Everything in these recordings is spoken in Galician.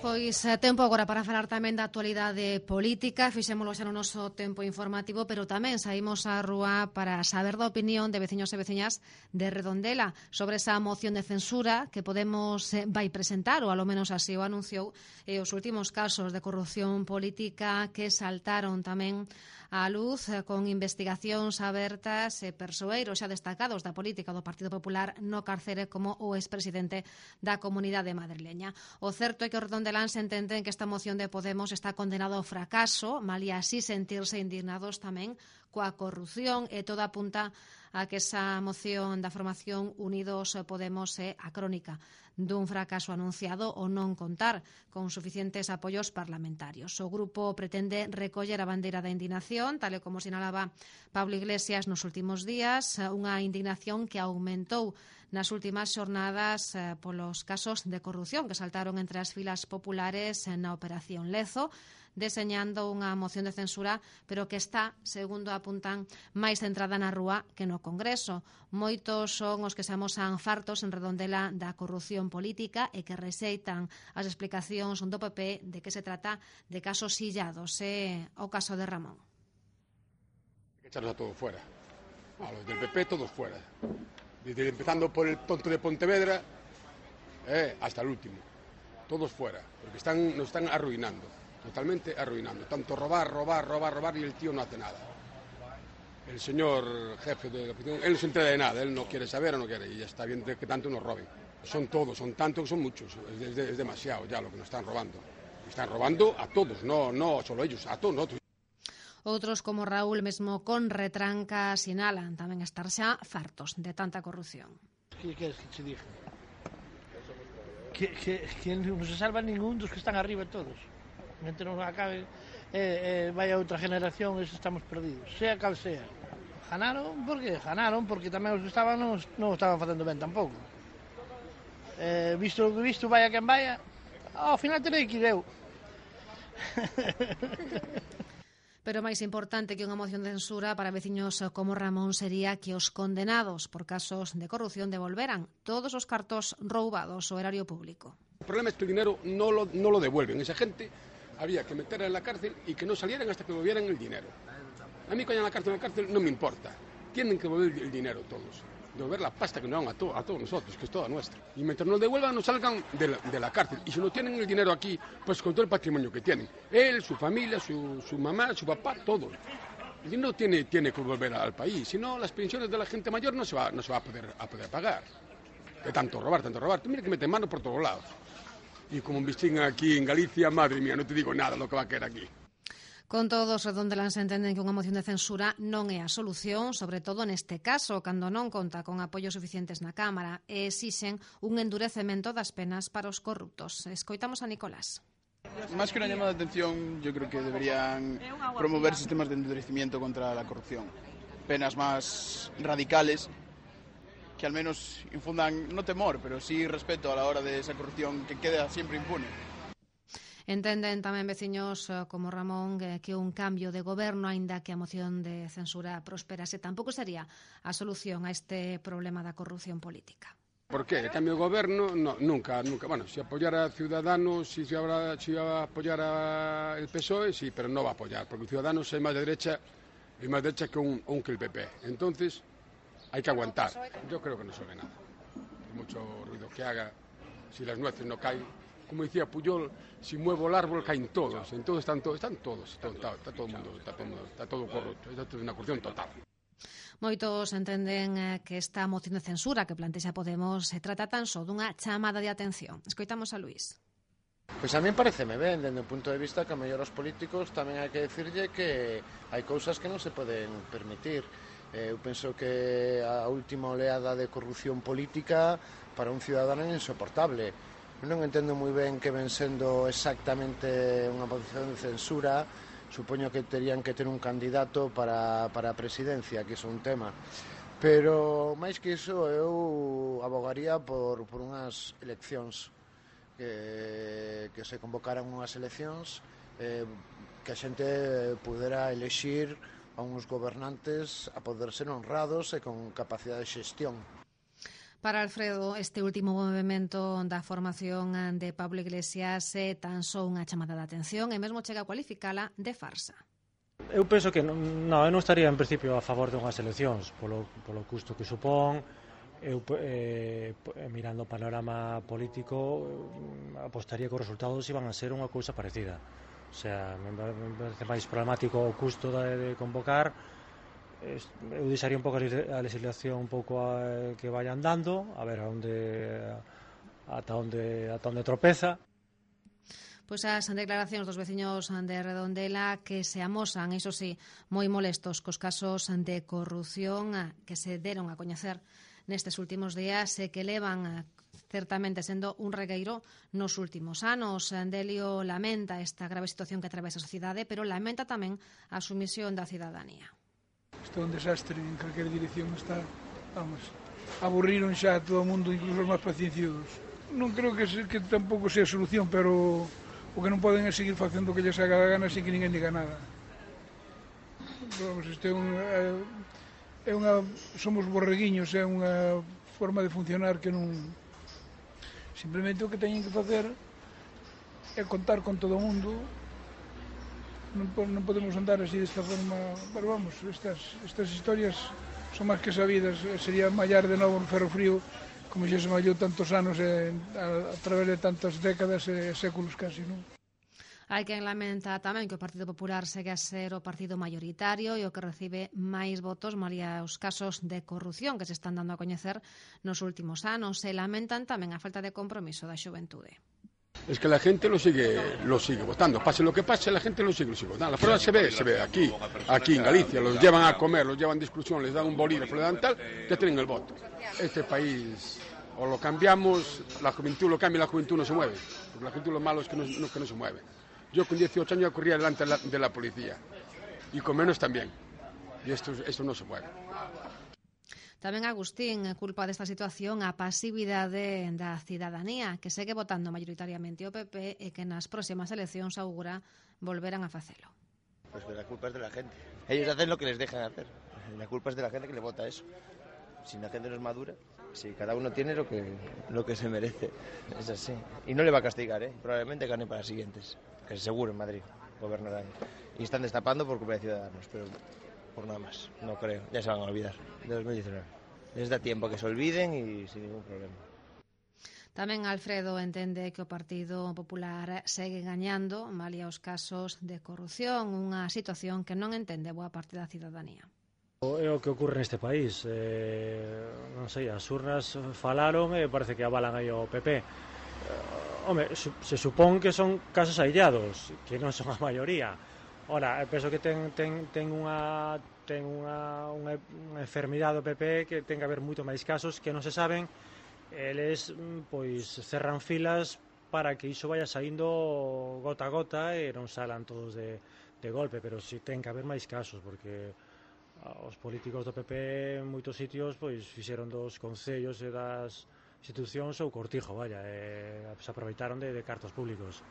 Pois tempo agora para falar tamén da actualidade política. Fixémolo xa no noso tempo informativo, pero tamén saímos á rúa para saber da opinión de veciños e veciñas de Redondela sobre esa moción de censura que Podemos vai presentar, ou alo menos así o anunciou, e os últimos casos de corrupción política que saltaron tamén á luz con investigacións abertas e persoeiros xa destacados da política do Partido Popular no carcere como o expresidente da Comunidade Madrileña. O certo é que os redondeláns entenden que esta moción de Podemos está condenado ao fracaso, malia así sentirse indignados tamén coa corrupción, e toda apunta a que esa moción da formación Unidos Podemos é a crónica dun fracaso anunciado ou non contar con suficientes apoios parlamentarios. O grupo pretende recoller a bandeira da indignación, tal e como sinalaba Pablo Iglesias nos últimos días, unha indignación que aumentou nas últimas xornadas polos casos de corrupción que saltaron entre as filas populares na Operación Lezo, deseñando unha moción de censura, pero que está, segundo apuntan, máis centrada na rúa que no Congreso. Moitos son os que se amosan fartos en Redondela da corrupción política e que rexeitan as explicacións do PP de que se trata de casos illados. O caso de Ramón. Hay que echarlos a todos fuera. A los del PP todos fuera. Desde empezando por el tonto de Pontevedra hasta el último. Todos fuera, porque nos están arruinando. Totalmente arruinando. Tanto robar y el tío no hace nada. El señor jefe de la oposición, él no se entera de nada, él no quiere saber o no quiere, y ya está bien de que tanto nos roben. Son todos, son tantos, son muchos, es demasiado ya lo que nos están robando. Están robando a todos, no solo ellos, a todos nosotros. Outros como Raúl, mesmo con retranca, sinalan tamén estar xa fartos de tanta corrupción. Que queres que te diga? Que non se salva ningún dos que están arriba todos. Mentre non acabe vai a outra generación, estamos perdidos, sea cal sea. Ganaron, por que? Ganaron porque tamén os que estaban non estaban facendo ben tampouco. Visto o que visto, vaya quen vaya, ao final terei que ir eu. Pero máis importante que unha moción de censura para veciños como Ramón sería que os condenados por casos de corrupción devolveran todos os cartos roubados ao erario público. El problema es que el dinero no lo devuelven. Esa gente había que meterla en la cárcel y que no salieran hasta que devolvieran el dinero. A mí que vayan a la cárcel no me importa. Tienen que devolver el dinero todos. Devolver la pasta que nos dan a todos nosotros, que es toda nuestra. Y mientras nos devuelvan, nos salgan de la cárcel. Y si no tienen el dinero aquí, pues con todo el patrimonio que tienen. Él, su familia, su mamá, su papá, todo. El dinero tiene que volver al país. Si no, las pensiones de la gente mayor no se va a poder pagar. De tanto robar. Mira que meten mano por todos lados. Y como investigan aquí en Galicia, madre mía, no te digo nada lo que va a caer aquí. Con todo, os redondeláns entenden que unha moción de censura non é a solución, sobre todo neste caso, cando non conta con apoios suficientes na Cámara, e exixen un endurecemento das penas para os corruptos. Escoitamos a Nicolás. Más que una llamada de atención, yo creo que deberían promover sistemas de endurecimiento contra la corrupción. Penas más radicales, que al menos infundan no temor, pero sí respeto a la hora de esa corrupción que queda siempre impune. Entenden tamén veciños como Ramón que un cambio de goberno, aínda que a moción de censura prosperase, tampouco sería a solución a este problema da corrupción política. ¿Por qué? El cambio de gobierno, no, nunca. Bueno, si apoyara a Ciudadanos, si va a apoyar el PSOE, sí, pero no va a apoyar, porque Ciudadanos es más de derecha que el PP. Entonces, hay que aguantar. Yo creo que no sirve nada. Por mucho ruido que haga, si las nueces no caen, como decía Pujol, si muevo el árbol caen todos. Entonces están todos, está todo el mundo, está todo corrupto. Esto es una cuestión total. Moitos entenden que esta moción de censura que plantexa Podemos se trata tan só dunha chamada de atención. Escoitamos a Luís. Pois a mí pareceme ben, dende o punto de vista que a mellor os políticos tamén hai que decirlle que hai cousas que non se poden permitir. Eu penso que a última oleada de corrupción política para un ciudadano é insoportable. Eu non entendo moi ben que ven sendo exactamente unha moción de censura. Supoño que terían que ter un candidato para a presidencia, que é un tema. Pero, máis que iso, eu abogaría por unhas eleccións, que se convocaran unhas eleccións, que a xente pudera elexir a uns gobernantes a poder ser honrados e con capacidade de xestión. Para Alfredo, este último movimento da formación de Pablo Iglesias é tan só unha chamada de atención e mesmo chega a cualificala de farsa. Eu penso que eu non estaría en principio a favor de unhas eleccións polo custo que supón. Eu mirando o panorama político apostaría que os resultados iban a ser unha cousa parecida. O sea, me parece máis problemático o custo de convocar. Eu deixaría un pouco a legislación un pouco que vaya andando, a ver ata onde tropeza. Pois as declaracións dos veciños de Redondela que se amosan, iso sí, moi molestos cos casos de corrupción que se deron a coñecer nestes últimos días e que levan certamente sendo un regueiro nos últimos anos. Delio lamenta esta grave situación que atravesa a sociedade, pero lamenta tamén a sumisión da cidadanía. Isto é un desastre en calquera dirección, está, vamos, aburriron xa a todo o mundo, incluso os máis pacienciudos. Non creo que tampouco sea a solución, pero o que non poden é seguir facendo o que lles haga da gana sin que ninguén diga nada. Vamos, isto somos borreguiños, é unha forma de funcionar que non... Simplemente o que teñen que facer é contar con todo o mundo. Non podemos andar así desta forma, pero vamos, estas historias son máis que sabidas. Sería mallar de novo un ferro frío, como xa se mallou tantos anos a través de tantas décadas e séculos casi, non? Hai quen lamenta tamén que o Partido Popular segue a ser o partido maioritario e o que recibe máis votos malia os casos de corrupción que se están dando a coñecer nos últimos anos e lamentan tamén a falta de compromiso da xuventude. Es que la gente lo sigue votando. Pase lo que pase, la gente lo sigue votando. La prueba se ve aquí en Galicia. Los llevan a comer, los llevan de exclusión, les dan un bolígrafo, les dan tal, que tienen el voto. Este país, o lo cambiamos, la juventud lo cambia y la juventud no se mueve. Porque la juventud lo malo es que no se mueve. Yo con 18 años corría delante de la policía. Y con menos también. Y esto no se mueve. Tamén Agustín culpa desta situación a pasividade da cidadanía que segue votando maioritariamente o PP e que nas próximas eleccións augura volverán a facelo. Pues la culpa es de la gente. Ellos hacen lo que les dejan hacer. La culpa es de la gente que le vota eso. Si la gente no es madura, si cada uno tiene lo que se merece. Es así. Y no le va a castigar, probablemente gane para las siguientes. Que seguro en Madrid gobernarán. Y están destapando por culpa de Ciudadanos, pero por nada más. No creo. Ya se van a olvidar de 2019. Les da tiempo que se olviden y sin ningún problema. Tamén Alfredo entende que o Partido Popular segue gañando malia os casos de corrupción, unha situación que non entende boa parte da cidadanía. É o que ocorre neste país. Non sei, as urnas falaron e parece que avalan aí o PP. Se supón que son casos aillados, que non son a maioría. Ora, penso que ten unha enfermidade do PP que ten que haber moito máis casos que non se saben. Eles pois cerran filas para que iso vaya saindo gota a gota e non salan todos de golpe, pero si ten que haber máis casos porque os políticos do PP en moitos sitios pois fixeron dos concellos e das institucións ou cortijo, se aproveitaron de cartos públicos.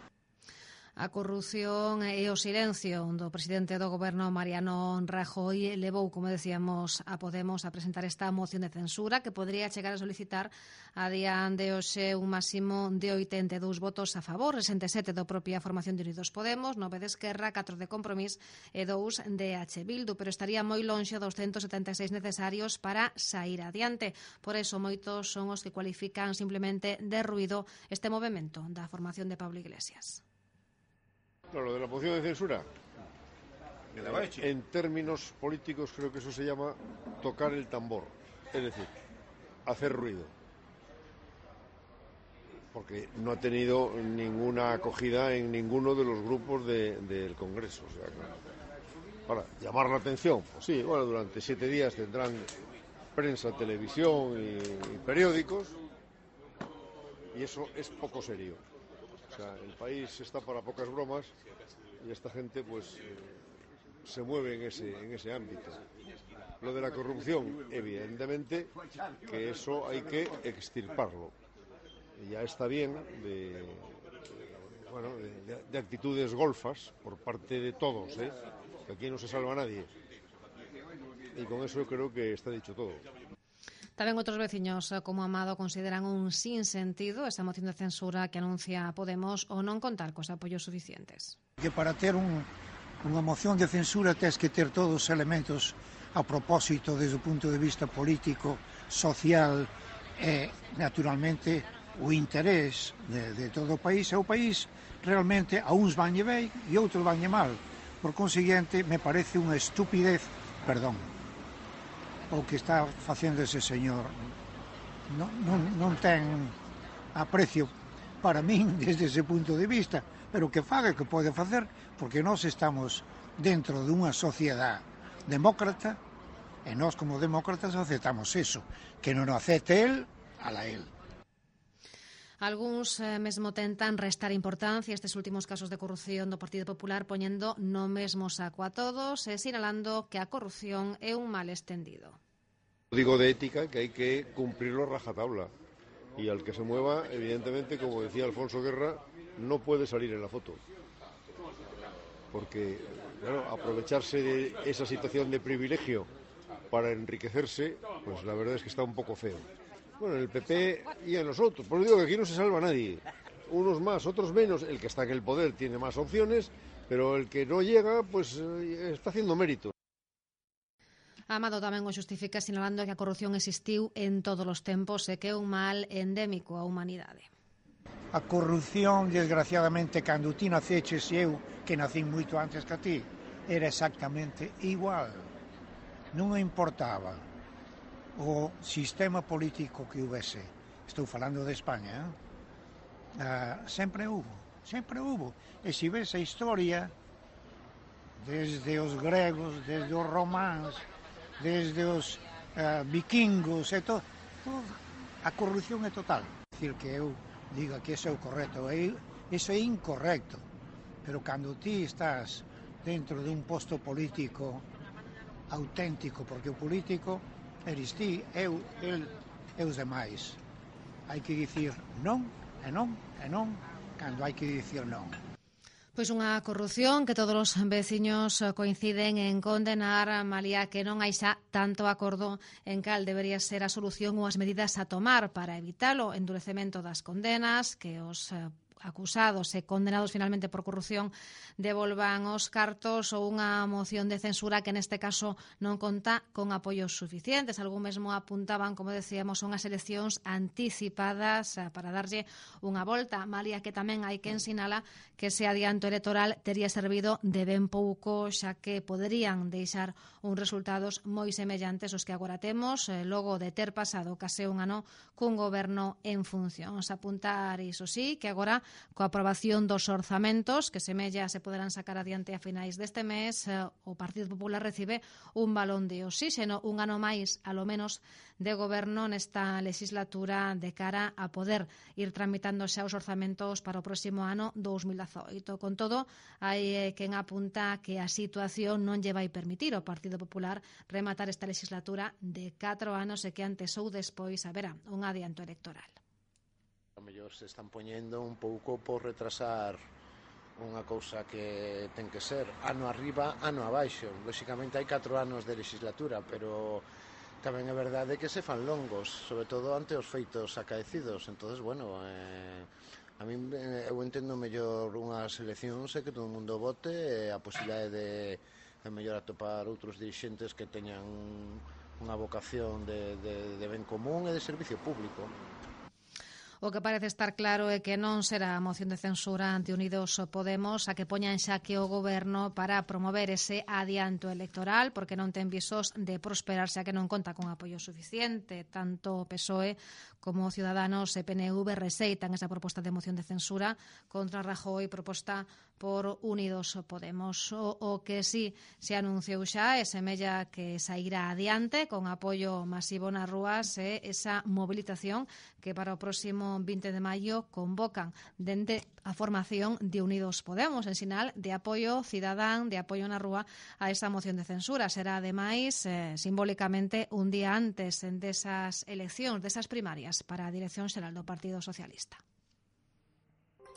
A corrupción e o silencio do presidente do goberno Mariano Rajoy levou, como decíamos, a Podemos a presentar esta moción de censura que podría chegar a solicitar a día de hoxe un máximo de 82 votos a favor, 67 do propia formación de Unidos Podemos, 9 de Esquerra, 4 de Compromís e 2 de H. Bildu, pero estaría moi lonxe dos 176 necesarios para sair adiante. Por eso moitos son os que cualifican simplemente de ruido este movimento da formación de Pablo Iglesias. Lo de la moción de censura, en términos políticos creo que eso se llama tocar el tambor, es decir, hacer ruido, porque no ha tenido ninguna acogida en ninguno de los grupos del Congreso. O sea, para llamar la atención, pues sí, bueno, durante 7 días tendrán prensa, televisión y periódicos, y eso es poco serio. O sea, el país está para pocas bromas y esta gente pues se mueve en ese ámbito. Lo de la corrupción, evidentemente que eso hay que extirparlo. Y ya está bien de actitudes golfas por parte de todos, que aquí no se salva nadie. Y con eso yo creo que está dicho todo. Tamén outros veciños como Amado consideran un sinsentido esa moción de censura que anuncia Podemos ou non contar cos apoios suficientes. Que para ter unha moción de censura tens que ter todos os elementos a propósito desde o punto de vista político, social e, naturalmente, o interés de todo o país. E o país realmente a uns vanlle ben e outros vanlle mal. Por consiguiente, me parece unha estupidez, perdón, o que está facendo ese señor. Non ten aprecio para min desde ese punto de vista, pero que faga que pode facer, porque nós estamos dentro dunha sociedade demócrata e nós como demócratas aceptamos eso, que non o acepte el, ala el. Algúns mesmo tentan restar importancia a estes últimos casos de corrupción do Partido Popular poñendo no mesmo saco a todos e sinalando que a corrupción é un mal extendido. Digo de ética que hay que cumplirlo rajatabla y al que se mueva, evidentemente, como decía Alfonso Guerra, no puede salir en la foto. Porque, claro, aprovecharse de esa situación de privilegio para enriquecerse, pues la verdad es que está un poco feo. Bueno, en el PP y en los otros. Por eso digo que aquí no se salva nadie. Unos más, otros menos. El que está en el poder tiene más opciones, pero el que no llega, pues está haciendo mérito. Amado tamén o xustifica sinalando que a corrupción existiu en todos os tempos e que é un mal endémico á humanidade. A corrupción, desgraciadamente, cando ti naceches e eu, que nacín moito antes que a ti, era exactamente igual. Non importaba o sistema político que houvese. Estou falando de España, sempre hubo. E se ves a historia, desde os gregos, desde os románs, desde os vikingos, e todo, a corrupción é total. Decir que eu diga que eso é o correcto, eso é incorrecto, pero cando ti estás dentro dun posto político auténtico, porque o político eres ti, eu, el e os demais, hai que dicir non, e non, e non, cando hai que dicir non. Pois unha corrupción que todos os veciños coinciden en condenar, malia que non hai xa tanto acordo en cal debería ser a solución ou as medidas a tomar para evitalo, endurecemento das condenas, que os acusados e condenados finalmente por corrupción devolvan os cartos ou unha moción de censura que neste caso non conta con apoios suficientes. Algún mesmo apuntaban, como decíamos, unhas eleccións anticipadas para darlle unha volta, malia que tamén hai que ensinala que ese adianto electoral tería servido de ben pouco, xa que poderían deixar uns resultados moi semellantes aos que agora temos, logo de ter pasado case un ano cun goberno en funcións. Apuntar, iso sí, que agora coa aprobación dos orzamentos que semella se poderán sacar adiante a finais deste mes, o Partido Popular recibe un balón de oxíxeno, un ano máis, alo menos, de goberno nesta legislatura de cara a poder ir tramitando xa os orzamentos para o próximo ano 2018. Con todo, hai quen apunta que a situación non lle vai permitir ao Partido Popular rematar esta legislatura de 4 anos e que antes ou despois haberá un adianto electoral. A mellor se están poñendo un pouco por retrasar unha cousa que ten que ser ano arriba, ano abaixo. Lóxicamente hai 4 anos de legislatura, pero tamén é verdade que se fan longos, sobre todo ante os feitos acaecidos. Entonces, bueno, a min eu entendo mellor unhas eleccións e que todo o mundo vote e a posibilidade de mellor atopar outros dirixentes que teñan unha vocación de ben común e de servicio público. O que parece estar claro é que non será a moción de censura ante Unidos Podemos a que poña en xaque o goberno para promover ese adianto electoral, porque non ten visos de prosperar xa que non conta con apoio suficiente. Tanto PSOE como Ciudadanos e PNV reseitan esa proposta de moción de censura contra Rajoy proposta por Unidos Podemos. O que sí se anunciou xa e semella que sairá adiante con apoio masivo nas rúas e esa movilización que para o próximo 20 de maio convocan dende a formación de Unidos Podemos en sinal de apoio cidadán, de apoio na rúa a esa moción de censura. Será ademais simbólicamente un día antes desas eleccións, desas primarias para a Dirección Xeral do Partido Socialista.